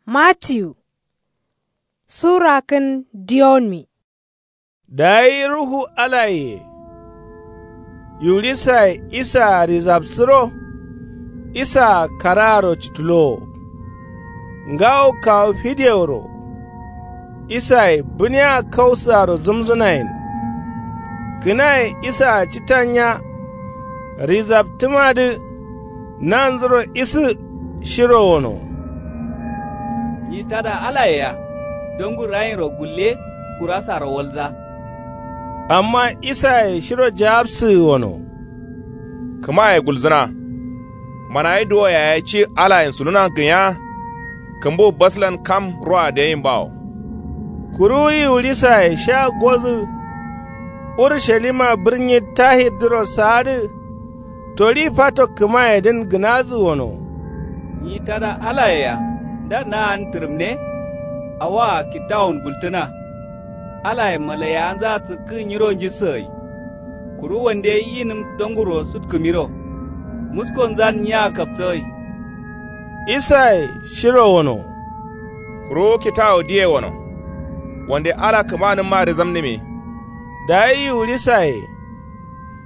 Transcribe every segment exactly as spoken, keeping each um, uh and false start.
Matiyu. Sura kǝn diyonmi. Dayi ruhu alaye yiwulisaye isaa rizabsǝro. Isaa karaaro cǝtǝlowo. Ngawo kawu fideworo. Isaye bǝniya kausǝaro zǝmzǝnayen. Kǝnaye isaa cǝtanya rizabtǝmadǝ. Nanzuro isǝ shiro wono. Nyi tada alaye ya. Dangu rayinro gulle. Gurasaro walza. Amma isaye shiro jawabsǝgǝ wono. Kǝmaye gulzǝna. Manayi duwo yaye ci alayen suluna gǝnya. Kǝmbu baslan kam ruwa deyin bawo. Kuru yiwulisaye sha gozǝ. Urushalima bǝrnyi tahirdǝro saadǝ. Tori fato kǝmayedǝn gǝnazǝ wono. Nyi tada alaye ya nda naan tǝrǝmne. Awoa kittawon gultǝna. Alaye malaiyawanza sǝkkǝ nyiro njissǝgai. Kuru wande yinǝm donguro sutkǝmiro. Muskonzan nyiya kapsǝgai. Isaye shiro wono. Kuru kitawo diye wono. Wande ala kǝmanǝmma rizamnǝmi. Dayi yiwulisaye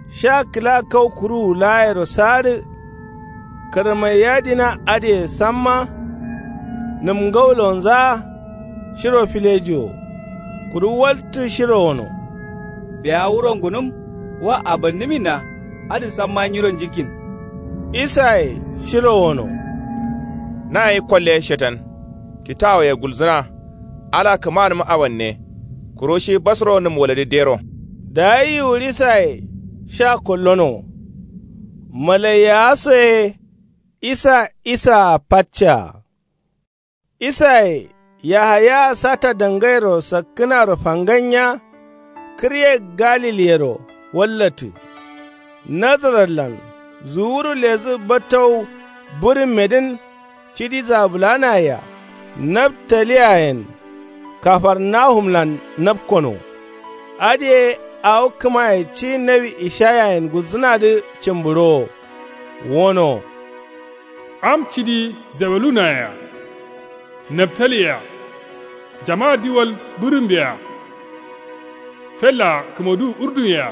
sha kǝla kau kuruwu laayero saadǝ. Kǝrmai yadina adǝye samma. Nǝm ngaulonzaa shiro filejiwo. Kuru waltǝ shiro wono. Biya wuro ngunǝm wa abannǝminna. Adǝ samma nyiro njikkin. Isaye shiro wono. Nayi kolle shetan. Kitawoye gulzǝna. Ala kǝmanǝm abanne. Kuru shi basro nǝm waladǝ dero. Dayi yiwulisaye sha kollono. Malaiyawa soye isa isaa faccaa. Isaye yahayaa sata dangairo sakkǝnaro fanganya. Kǝrye galiliyero wallatǝ. Nazaretlan zuwuru lezǝ battau bǝrǝmmedǝn. Cidi zabulanaye-a naftaliyayen kafarnahumlan napkono. Adǝye awo kǝmaye ci nawi ishayayen gulzǝnadǝ cǝmbǝɍowo. Wono. Am cidi zebulunaye-a naftaliye-a jama diwal bǝrǝmbe-a fellaa kǝmoduwu urdunye-a.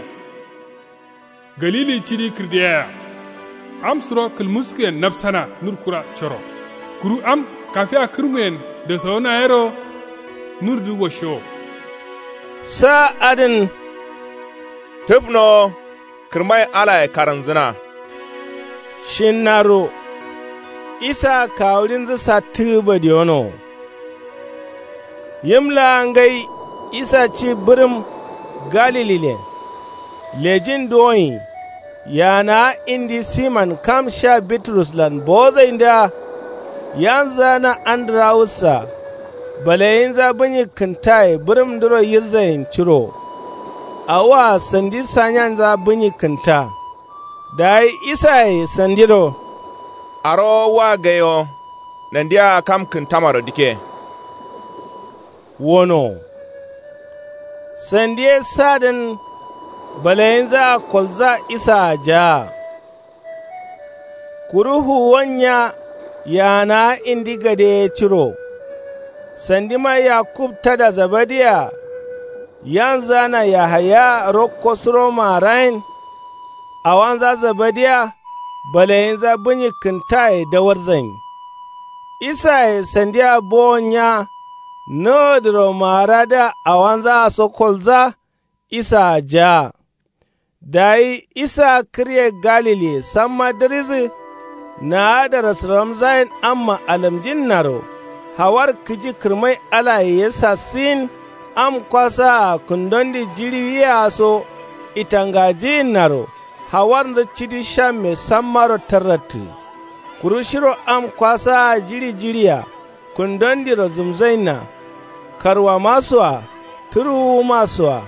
Galili cidi kǝrdeyaya. Am suro kǝlmuskuyen nafsana nur kura coro. Kuru am kafiya kǝrmuyen dasawuna yero. Nurdǝ woshowo. Sa adǝn. Tǝfnowo kǝrmai alaye karanzǝna. Shinnaro. Isa kawuɍinzǝ sattǝgǝ badiyonowo. Yim laa ngai isa ci bǝrǝm galililen. Lejin duwonyi yaanawa indi siman kam sha bituruslan bowozaindǝa. Yanzǝa na andǝrawus-a balayinza bǝnyi kǝntaye bǝrǝmdǝro yirzain curo. Awoa sandi sanyanza bǝnyi kǝnta. Dayi isaye sandiro. Arowo wa gaiwo nandia kam kǝntamaro dike. Wono. Sandi ye sadǝn balayinzaa kolza isaa jaa. Kuru fuwon nya yaanawa indi gade ye curo. Sandima yakub tada zabadiya. Yanzǝa na yahaya rokko suro maarayin. Awanza zabadiya balayinza bǝnyi kǝntaye dawarzain. Isaye sandia bowon nya. Nowodǝro maaradǝa awanzaa so kolza. Isaa jaa. Dayi isaa kǝrye galiliye samma dǝridǝ. Naa darasǝramzayin amma alamjinnaro. Hawar kǝji kǝrmai alaye ye sasǝyin. Am kwasaa kǝndondi jiɍi wiyaa so itangajiyinnaro. Hawarnzǝ cidi shamme sammaro tarrattǝ. Kuru shiro am kwasaa jiɍi jiɍia kǝndondiro zǝmzainna. Karwama so-a tǝruwuma so-a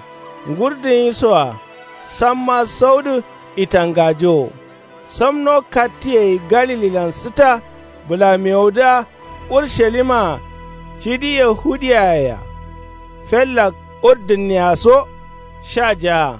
ngurdǝnyi so-a samma saudǝ itangajowo. Samno kattǝ yai galililan sǝta bǝlamewodǝa urshalima-a cidi yahudiyaye-a fellak urdǝnnea so sha jaa.